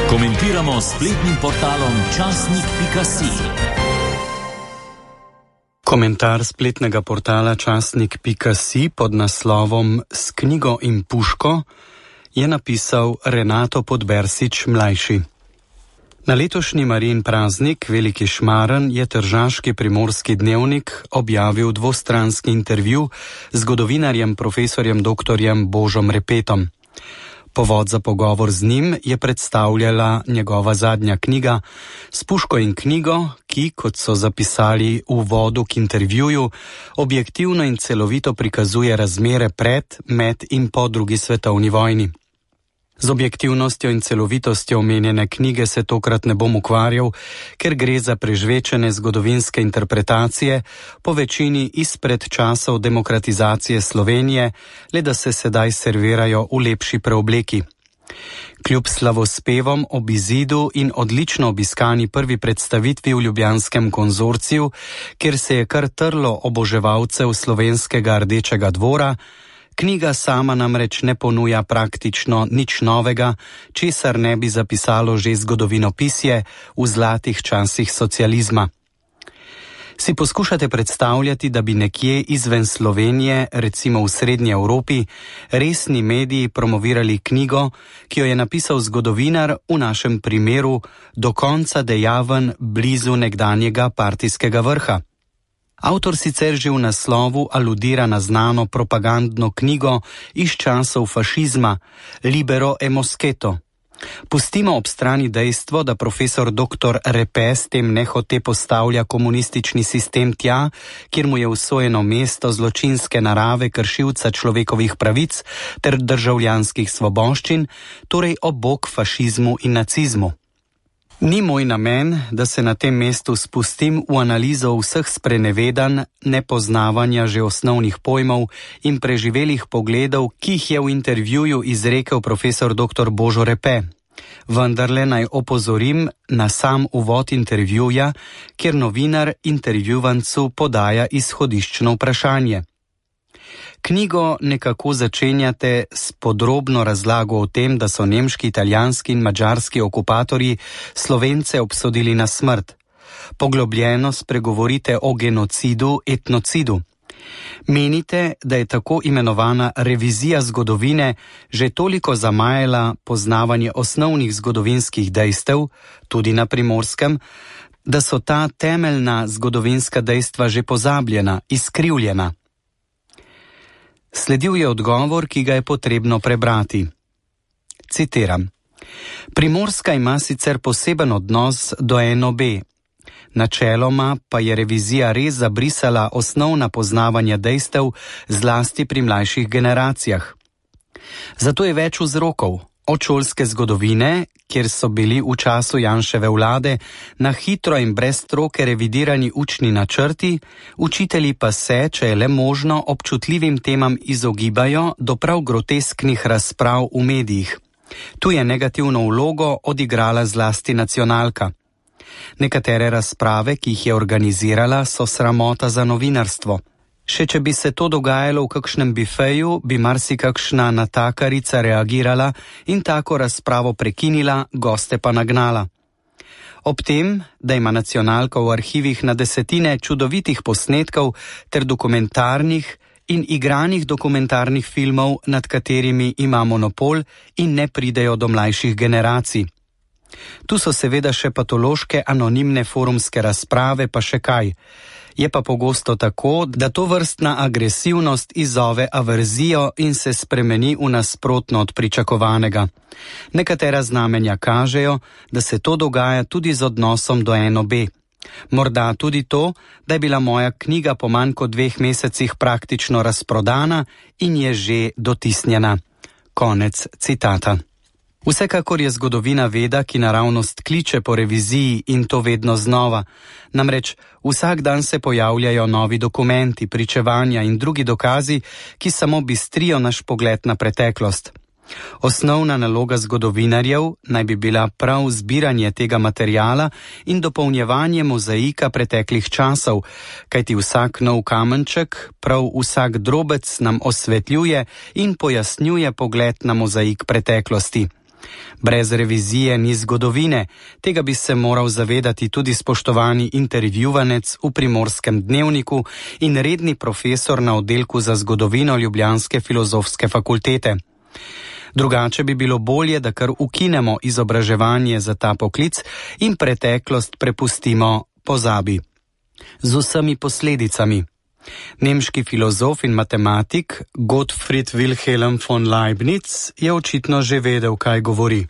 Komentiramo s spletnim portalom časnik.si. Komentar spletnega portala časnik.si pod naslovom S knjigo in puško je napisal Renato Podbersič mlajši. Na letošnji Marijin praznik, Veliki Šmaren, je tržaški Primorski dnevnik objavil dvostranski intervju z zgodovinarjem profesorjem doktorjem Božom Repetom. Povod za pogovor z njim je predstavljala njegova zadnja knjiga S puško in knjigo, ki, kot so zapisali v uvodu k intervjuju, objektivno in celovito prikazuje razmere pred, med in po drugi svetovni vojni. Z objektivnostjo in celovitostjo omenjene knjige se tokrat ne bom ukvarjal, ker gre za prežvečene zgodovinske interpretacije, po večini izpred časov demokratizacije Slovenije, le da se sedaj servirajo v lepši preobleki. Kljub slavospevom ob izidu in odlično obiskani prvi predstavitvi v ljubljanskem konzorciju, kjer se je kar trlo oboževalcev slovenskega Rdečega dvora, knjiga sama namreč ne ponuja praktično nič novega, česar ne bi zapisalo že zgodovinopisje v zlatih časih socializma. Si poskušate predstavljati, da bi nekje izven Slovenije, recimo v Srednji Evropi, resni mediji promovirali knjigo, ki jo je napisal zgodovinar, v našem primeru do konca dejaven blizu nekdanjega partijskega vrha? Avtor sicer že v naslovu aludira na znano propagandno knjigo iz časov fašizma Libero e Moscheto. Pustimo ob strani dejstvo, da profesor dr. Repe s tem nehote postavlja komunistični sistem tja, kjer mu je usojeno mesto zločinske narave kršilca človekovih pravic ter državljanskih svoboščin, torej ob bok fašizmu in nacizmu. Ni moj namen, da se na tem mestu spustim v analizo vseh sprenevedanj, nepoznavanja že osnovnih pojmov in preživelih pogledov, ki jih je v intervjuju izrekel profesor dr. Božo Repe. Vendarle naj opozorim na sam uvod intervjuja, kjer novinar intervjuvancu podaja izhodiščno vprašanje. Knjigo nekako začenjate s podrobno razlago o tem, da so nemški, italijanski in madžarski okupatorji Slovence obsodili na smrt. Poglobljeno spregovorite o genocidu, etnocidu. Menite, da je tako imenovana revizija zgodovine že toliko zamajala poznavanje osnovnih zgodovinskih dejstev, tudi na Primorskem, da so ta temeljna zgodovinska dejstva že pozabljena, izkrivljena. Sledil je odgovor, ki ga je potrebno prebrati. Citiram. Primorska ima sicer poseben odnos do NOB. Načeloma pa je revizija res zabrisala osnovna poznavanja dejstev zlasti pri mlajših generacijah. Zato je več vzrokov. Od šolske zgodovine, kjer so bili v času Janševe vlade na hitro in brez stroke revidirani učni načrti, učitelji pa se, če je le možno, občutljivim temam izogibajo do prav grotesknih razprav v medijih. Tu je negativno vlogo odigrala zlasti nacionalka. Nekatere razprave, ki jih je organizirala, so sramota za novinarstvo. Še če bi se to dogajalo v kakšnem bifeju, bi marsikakšna natakarica reagirala in tako razpravo prekinila, goste pa nagnala. Ob tem, da ima nacionalka v arhivih na desetine čudovitih posnetkov ter dokumentarnih in igranih dokumentarnih filmov, nad katerimi ima monopol in ne pridejo do mlajših generacij. Tu so seveda še patološke anonimne forumske razprave, pa še kaj. Je pa pogosto tako, da to vrstna agresivnost izzove averzijo in se spremeni v nasprotno od pričakovanega. Nekatera znamenja kažejo, da se to dogaja tudi z odnosom do NOB. Morda tudi to, da je bila moja knjiga po manj kot 2 mesecih praktično razprodana in je že dotisnjena. Konec citata. Vsekakor je zgodovina veda, ki naravnost kliče po reviziji in to vedno znova. Namreč vsak dan se pojavljajo novi dokumenti, pričevanja in drugi dokazi, ki samo bistrijo naš pogled na preteklost. Osnovna naloga zgodovinarjev naj bi bila prav zbiranje tega materiala in dopolnjevanje mozaika preteklih časov, kajti vsak nov kamenček, prav vsak drobec nam osvetljuje in pojasnjuje pogled na mozaik preteklosti. Brez revizije ni zgodovine, tega bi se moral zavedati tudi spoštovani intervjuvanec v Primorskem dnevniku in redni profesor na oddelku za zgodovino ljubljanske filozofske fakultete. Drugače bi bilo bolje, da kar ukinemo izobraževanje za ta poklic in preteklost prepustimo pozabi. Z vsemi posledicami. Nemški filozof in matematik Gottfried Wilhelm von Leibniz je očitno že vedel, kaj govori.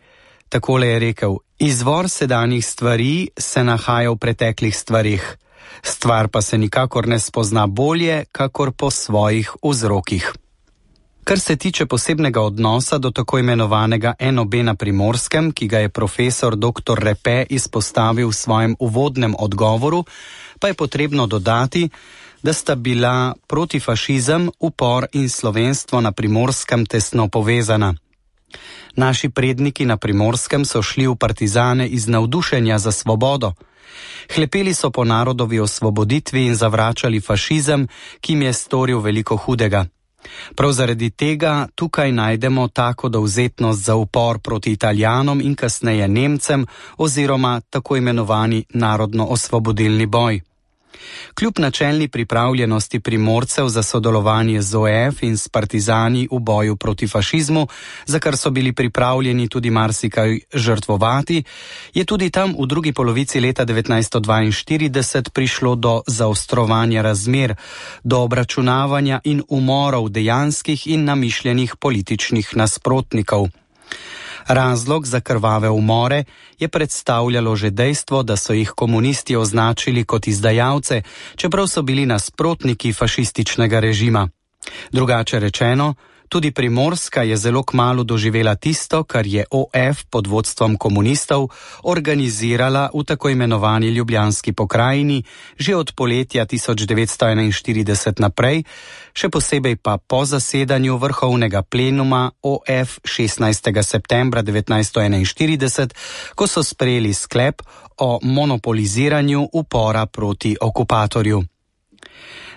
Takole je rekel: izvor sedanjih stvari se nahaja v preteklih stvarih. Stvar pa se nikakor ne spozna bolje, kakor po svojih vzrokih. Kar se tiče posebnega odnosa do tako imenovanega NOB na Primorskem, ki ga je profesor dr. Repe izpostavil v svojem uvodnem odgovoru, pa je potrebno dodati, da sta bila protifašizem, upor in slovenstvo na Primorskem tesno povezana. Naši predniki na Primorskem so šli v partizane iz navdušenja za svobodo. Hlepeli so po narodovi osvoboditvi in zavračali fašizem, ki jim je storil veliko hudega. Prav zaradi tega tukaj najdemo tako dovzetnost za upor proti Italijanom in kasneje Nemcem oziroma tako imenovani narodno-osvobodilni boj. Kljub načelni pripravljenosti Primorcev za sodelovanje z OF in s partizani v boju proti fašizmu, za kar so bili pripravljeni tudi marsikaj žrtvovati, je tudi tam v drugi polovici leta 1942 prišlo do zaostrovanja razmer, do obračunavanja in umorov dejanskih in namišljenih političnih nasprotnikov. Razlog za krvave umore je predstavljalo že dejstvo, da so jih komunisti označili kot izdajalce, čeprav so bili nasprotniki fašističnega režima. Drugače rečeno, tudi Primorska je zelo kmalu doživela tisto, kar je OF pod vodstvom komunistov organizirala v tako imenovani Ljubljanski pokrajini že od poletja 1941 naprej, še posebej pa po zasedanju vrhovnega plenuma OF 16. septembra 1941, ko so sprejeli sklep o monopoliziranju upora proti okupatorju.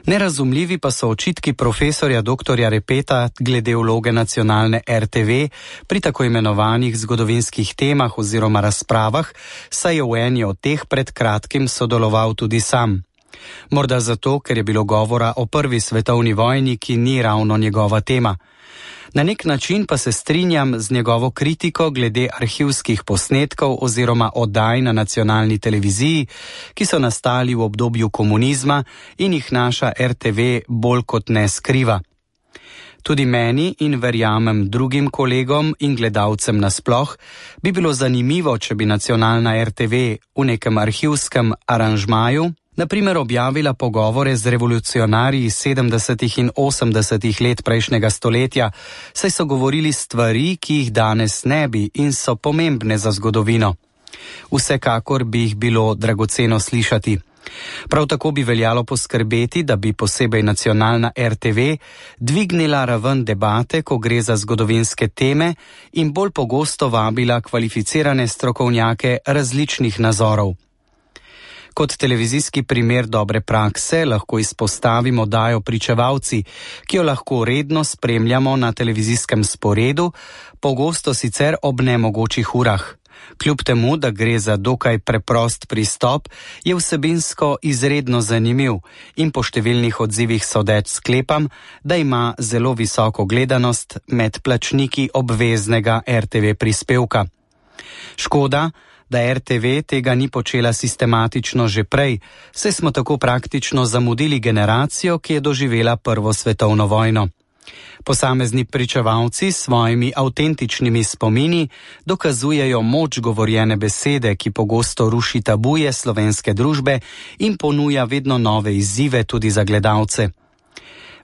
Nerazumljivi pa so očitki profesorja dr. Repeta glede vloge nacionalne RTV pri tako imenovanih zgodovinskih temah oziroma razpravah, saj je v eni od teh pred kratkim sodeloval tudi sam. Morda zato, ker je bilo govora o prvi svetovni vojni, ki ni ravno njegova tema. Na nek način pa se strinjam z njegovo kritiko glede arhivskih posnetkov oziroma oddaj na nacionalni televiziji, ki so nastali v obdobju komunizma in jih naša RTV bolj kot ne skriva. Tudi meni in verjamem drugim kolegom in gledalcem nasploh bi bilo zanimivo, če bi nacionalna RTV v nekem arhivskem aranžmaju na primer objavila pogovore z revolucionarji 70. in 80. let prejšnjega stoletja, saj so govorili stvari, ki jih danes ne bi in so pomembne za zgodovino. Vsekakor bi jih bilo dragoceno slišati. Prav tako bi veljalo poskrbeti, da bi posebej nacionalna RTV dvignila raven debate, ko gre za zgodovinske teme in bolj pogosto vabila kvalificirane strokovnjake različnih nazorov. Kot televizijski primer dobre prakse lahko izpostavimo oddajo Pričevalci, ki jo lahko redno spremljamo na televizijskem sporedu, pogosto sicer ob nemogočih urah. Kljub temu, da gre za dokaj preprost pristop, je vsebinsko izredno zanimiv in po številnih odzivih sodeč sklepam, da ima zelo visoko gledanost med plačniki obveznega RTV prispevka. Škoda, da RTV tega ni počela sistematično že prej, saj smo tako praktično zamudili generacijo, ki je doživela Prvo svetovno vojno. Posamezni pričevalci s svojimi avtentičnimi spomini dokazujejo moč govorjene besede, ki pogosto ruši tabuje slovenske družbe in ponuja vedno nove izzive tudi za gledalce.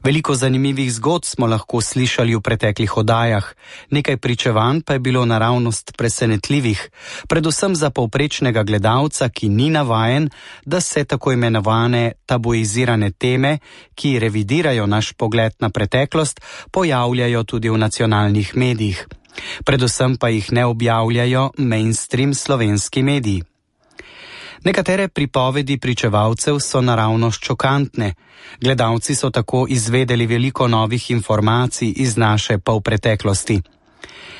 Veliko zanimivih zgodb smo lahko slišali v preteklih oddajah, nekaj pričevanj pa je bilo naravnost presenetljivih, predvsem za povprečnega gledalca, ki ni navajen, da se tako imenovane tabuizirane teme, ki revidirajo naš pogled na preteklost, pojavljajo tudi v nacionalnih medijih. Predvsem pa jih ne objavljajo mainstream slovenski mediji. Nekatere pripovedi pričevalcev so naravnost šokantne. Gledalci so tako izvedeli veliko novih informacij iz naše polpreteklosti.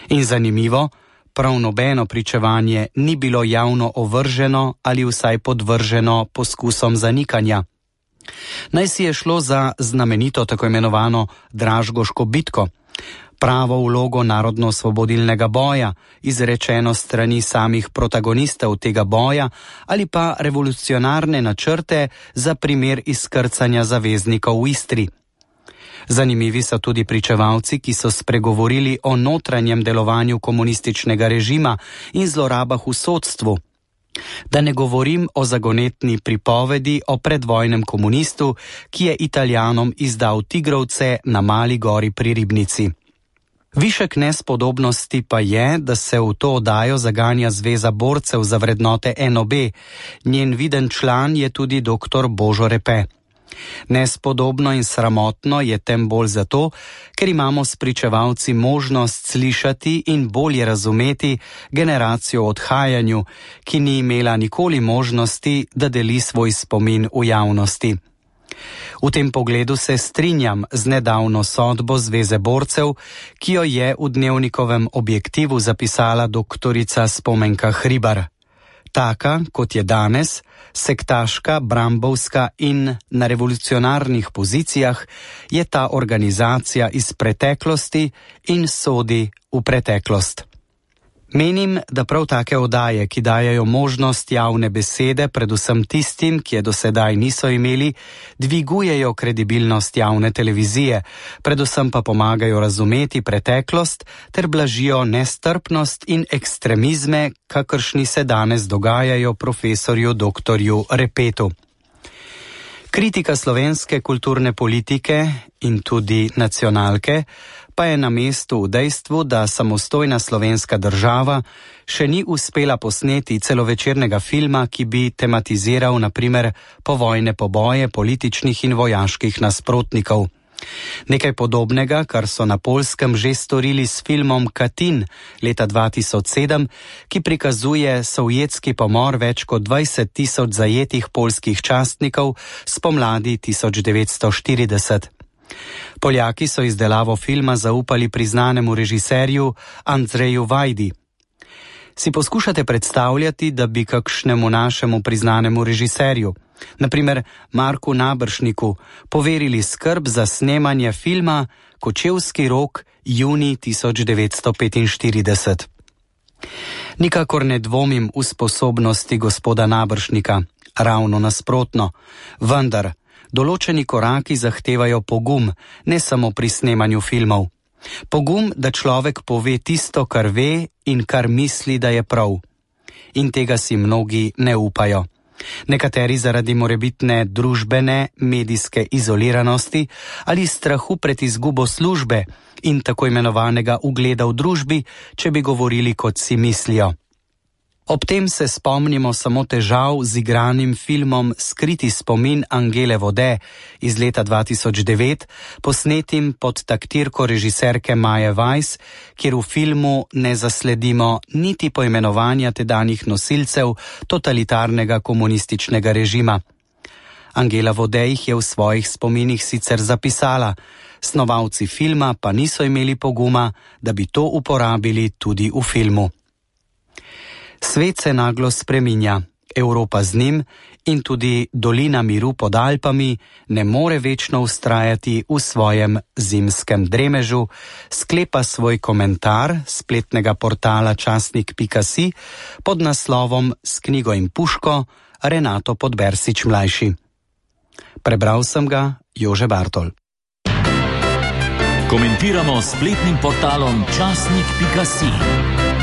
In zanimivo, prav nobeno pričevanje ni bilo javno ovrženo ali vsaj podvrženo poskusom zanikanja. Naj si je šlo za znamenito tako imenovano Dražgoško bitko, pravo vlogo narodno-osvobodilnega boja, izrečeno strani samih protagonistov tega boja, ali pa revolucionarne načrte za primer izkrcanja zaveznikov v Istri. Zanimivi so tudi pričevalci, ki so spregovorili o notranjem delovanju komunističnega režima in zlorabah v sodstvu. Da ne govorim o zagonetni pripovedi o predvojnem komunistu, ki je Italijanom izdal tigrovce na Mali gori pri Ribnici. Višek nespodobnosti pa je, da se v to oddajo zaganja Zveza borcev za vrednote NOB. Njen viden član je tudi dr. Božo Repe. Nespodobno in sramotno je tem bolj zato, ker imamo s pričevalci možnost slišati in bolje razumeti generacijo o odhajanju, ki ni imela nikoli možnosti, da deli svoj spomin v javnosti. V tem pogledu se strinjam z nedavno sodbo Zveze borcev, ki jo je v Dnevnikovem objektivu zapisala doktorica Spomenka Hribar. Taka, kot je danes, sektaška, brambovska in na revolucionarnih pozicijah, je ta organizacija iz preteklosti in sodi v preteklost. Menim, da prav take oddaje, ki dajajo možnost javne besede, predvsem tistim, ki je do sedaj niso imeli, dvigujejo kredibilnost javne televizije, predvsem pa pomagajo razumeti preteklost ter blažijo nestrpnost in ekstremizme, kakršni se danes dogajajo profesorju dr. Repetu. Kritika slovenske kulturne politike in tudi nacionalke pa je na mestu v dejstvu, da samostojna slovenska država še ni uspela posneti celovečernega filma, ki bi tematiziral na primer povojne poboje političnih in vojaških nasprotnikov. Nekaj podobnega, kar so na Poljskem že storili s filmom Katin leta 2007, ki prikazuje sovjetski pomor več kot 20 000 zajetih poljskih častnikov spomladi 1940. Poljaki so izdelavo filma zaupali priznanemu režiserju Andreju Vajdi. Si poskušate predstavljati, da bi kakšnemu našemu priznanemu režiserju, na primer Marku Naberšniku, poverili skrb za snemanje filma Kočevski rok junij 1945. Nikakor ne dvomim v sposobnosti gospoda Naberšnika, ravno nasprotno, vendar določeni koraki zahtevajo pogum, ne samo pri snemanju filmov. Pogum, da človek pove tisto, kar ve in kar misli, da je prav. In tega si mnogi ne upajo. Nekateri zaradi morebitne družbene, medijske izoliranosti ali strahu pred izgubo službe in tako imenovanega ugleda v družbi, če bi govorili, kot si mislijo. Ob tem se spomnimo samo težav z igranim filmom Skriti spomin Angele Vode iz leta 2009, posnetim pod taktirko režiserke Maje Weiss, kjer v filmu ne zasledimo niti poimenovanja tedanjih nosilcev totalitarnega komunističnega režima. Angela Vode jih je v svojih spominih sicer zapisala, snovalci filma pa niso imeli poguma, da bi to uporabili tudi v filmu. Svet se naglo spreminja, Evropa z njim in tudi dolina miru pod Alpami ne more večno vztrajati v svojem zimskem dremežu, sklepa svoj komentar spletnega portala časnik.si pod naslovom S knjigo in puško Renato Podbersič mlajši. Prebral sem ga Jože Bartol. Komentiramo spletnim portalom časnik.si.